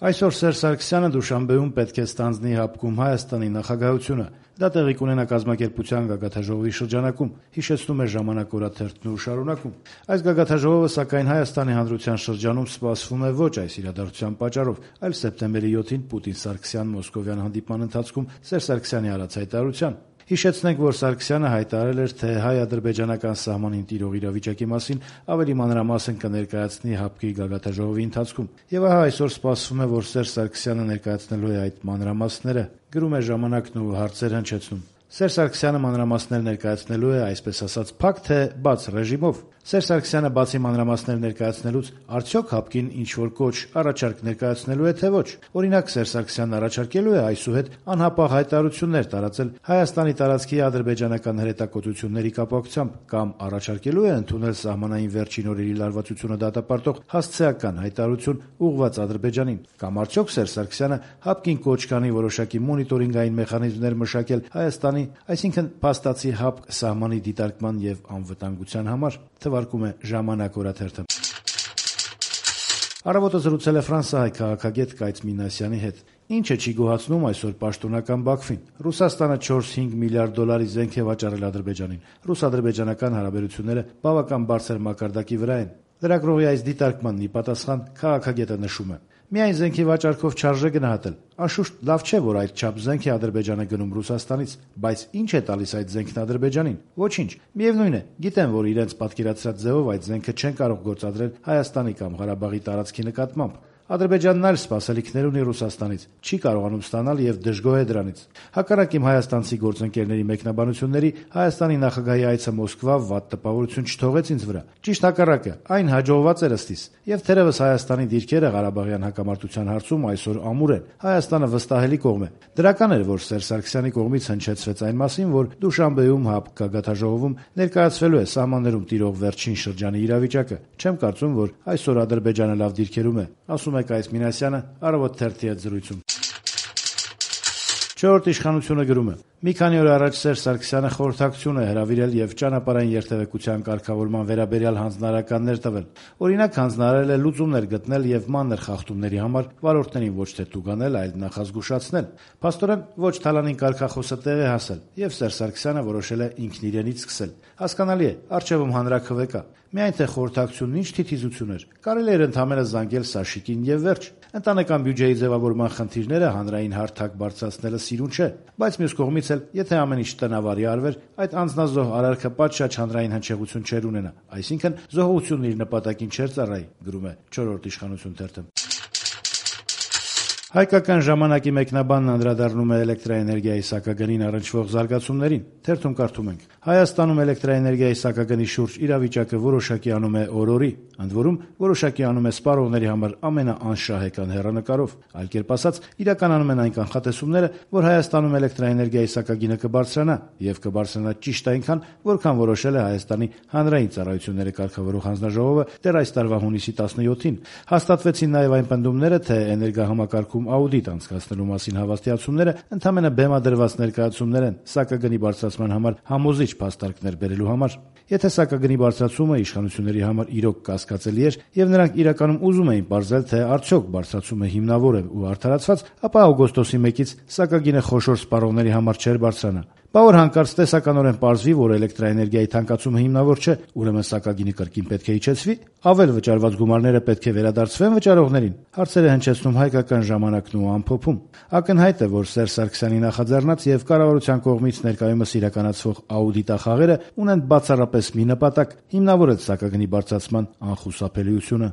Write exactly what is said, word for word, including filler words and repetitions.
Այսօր Սերժ Սարգսյանը Դուշանբեում պետք է ստանձնի հապկում Հայաստանի նախագահությունը: Դա տեղի կունենա կազմակերպության գագաթնաժողովի շրջանակում, հիշեցնում է «Ժամանակ» օրաթերթն ու շարունակում. Այս գագաթնաժողովը, սակայն, Հայաստանի հանրության շրջանում սպասվում է ոչ այս իրադարձության պատճառով, այլ սեպտեմբերի յոթին Պուտին-Սարգսյան մոսկովյան հանդիպման ընթացքում Սերժ Սարգսյանի արած հայտարարության: Հիշեցնենք, որ Սարգսյանը հայտարարել էր, թե հայ-ադրբեջանական սահմանին տիրող իրավիճակի մասին ավելի մանրամասն կներկայացնի ՀԱՊԿ-ի գագաթնաժողովի ընթացքում: Եվ ահա այսօր սպասվում է, որ Սերժ Սարգսյանը ներկայացնելու է այդ մանրամասները, գրում է «Ժամանակն» ու հարցեր հնչեցնում: Սերժ Սարգսյանը մանրամասներ ներկայացնելու է, այսպես ասած, փակ թե բաց ռեժիմով: Սերժ Սարգսյանը բացի մանրամասներ ներկայացնելուց արդյոք ՀԱՊԿ-ին ինչ-որ կոչ, առաջարկ ներկայացնելու է, թե ոչ: Օրինակ, Սերժ Սարգսյանն առաջարկելու է այսուհետ անհապաղ հայտարարություններ տարածել Հայաստանի տարածքի ադրբեջանական հրետակոծությունների կապակցությամբ, կամ առաջարկելու է ընդունել սահմանային վերջին օրերի լարվածությունը դատապարտող հասցեական հայտարարություն ուղղված Ադրբեջանին: Կամ արդյոք Սերժ Սարգսյանը ՀԱՊԿ-ին կոչ կանի որոշակի մոնիտորինգային մեխանիզմներ մշակել Հայաստանի, այսինքն փաստացի ՀԱՊԿ սահմանի դիտարկման եւ անվտանգության համար: Թվարկում է «Ժամանակ» օրաթերթը: «Առավոտ»-ը զրուցել է ֆրանսահայ քաղաքագետ Կայծ Մինասյանի հետ: Ի՞նչը չի գոհացնում այսօր պաշտոնական Բաքվին: Ռուսաստանը չորս-հինգ միլիարդ դոլարի զենք է վաճառել Ադրբեջանին: Ռուս-ադրբեջանական հարաբերությունները բավական բարձր մակարդակի վրա են: Լրագրողի այս դիտարկմանն ի պատասխան քաղաքագետը նշում է. «Միայն զենքի վաճառքով չարժե գնահատել: Անշուշտ լավ չէ, որ այդչափ զենք է Ադրբեջանը գնում Ռուսաստանից: Բայց ի՞նչ է տալիս այդ զենքն Ադրբեջանին: Ոչինչ: Միևնույն է, գիտեն, որ իրենց պատկերացրած ձևով այդ զենքը չեն կարող գործադրել Հայաստանի կամ Ղարաբաղի տարածքի նկատմամբ: Ադրբեջանն այլ սպասելիքներ ունի Ռուսաստանից, չի կարողանում ստանալ եւ դժգոհ է դրանից: Հակառակ իմ հայաստանցի գործընկերների մեկնաբանությունների, Հայաստանի նախագահի այցը Մոսկվա վատ տպավորություն չթողեց ինձ վրա: Ճիշտ հակառակը, այն հաջողված էր ըստ իս: Եվ թերեւս Հայաստանի դիրքերը Ղարաբաղյան հակամարտության հարցում այսօր ամուր են: Հայաստանը վստահելի կողմ է: Դրական էր, որ Սերժ Սարգսյանի կողմից հնչեցվեց այն մասին, որ Դուշանբեում ՀԱՊԿ գագաթնաժողովում ներկայացվելու է սահմաններում տիրող վերջին շրջանի իրավիճակը: Չեմ կարծում, որ այսօր Ադրբեջանը լավ դիրքերում է», ասում է Կայծ Մինասյանը «Առավոտ» թերթի հետ զրույցում: «Չորրորդ իշխանություն»-ը գրում է. «Մի քանի օր առաջ Սերժ Սարգսյանը խորհրդակցություն է հրավիրել եւ ճանապարհային երթեւեկության կարգավորման վերաբերյալ հանձնարարականներ տվել: Օրինակ, հանձնարարել է լուծումներ գտնել եւ մանր խախտումների համար վարորդներին ոչ թե տուգանել, այլ նախազգուշացնել: Փաստորեն, ոչ թալանին կարգախոսը տեղ է հասել, եւ Սերժ Սարգսյանը որոշել է ինքն իրենից սկսել: Հասկանալի է, առջեւում հանրաքվե կա: Միայն թե խորհրդակցությունն ինչ թիթիզություն էր: Կարելի էր ընդամենը զանգել Սաշիկին եւ վերջ: Ընտանեկան բյուջեի ձեւավորման խնդիրները հանրային հարթակ բարձրացնելը սիրուն չէ: Բայց մյուս կողմից էլ, եթե ամեն ինչ տնավարի արվեր, այդ անձնազոհ արարքը պատշաճ հանրային հնչեղություն չէր ունենա: Այսինքն, զոհությունն իր նպատակին չէր ծառայի», գրում է «Չորրորդ իշխանություն» թերթը: Հայկական ժամանակի մեկնաբանն անդրադառնում է էլեկտրաէներգիայի սակագնին առնչվող զարգացումներին: Թերթում կարդում ենք. «Հայաստանում էլեկտրաէներգիայի սակագնի շուրջ իրավիճակը որոշակի անում է օր-օրի: Ընդ որում, որոշակի անում է սպառողների համար ամենաանշահեկան հեռանկարով: Այլ կերպ ասած, իրականանում են այն կանխատեսումները, որ Հայաստանում էլեկտրաէներգիայի սակագինը կբարձրանա: Եվ կբարձրանա ճիշտ այնքան, որքան որոշել է Հայաստանի հանրային ծառայությունները կարգավորող հանձնաժողովը դեռ այս տարվա հունիսի տասնյոթին: Հաստատվեցին նաեւ այն պնդումները, թե էներգահամակարգում աուդիտ անցկացնելու մասին հավաստիացումները ընդամենը բեմադրված ներկայացումներ են սակագնի բարձրացման համար համոզիչ փաստարկներ բերելու համար: Եթե սակագնի բարձրացումը իշխանությունների համար իրոք կասկածելի էր, եւ նրանք իրականում ուզում էին պարզել, թե արդյոք բարձրացումը հիմնավոր է ու արդարացված, ապա օգոստոսի մեկից սակագինը խոշոր սպառողների համար չէր բարձրանա: Բա որ հանկարծ տեսականորեն պարզվի, որ էլեկտրաէներգիայի թանկացումը հիմնավոր չէ, ուրեմն սակագինը կրկին պետք է իջեցվի: Ավել վճարված գումարները պետք է վերադարձվե՞ն վճարողներին»: Հարցեր է հնչեցնում «Հայկական ժամանակ»-ն ու «Ամփոփում»: Ակնհայտ է, որ Սերժ Սարգսյանի նախաձեռնած եւ կառավարության կողմից ներկայումս իրականացվող աուդիտախաղերը ունեն բացառապես մի նպատակ՝ հիմնավորել սակագնի բարձրացման անխուսափելիությունը: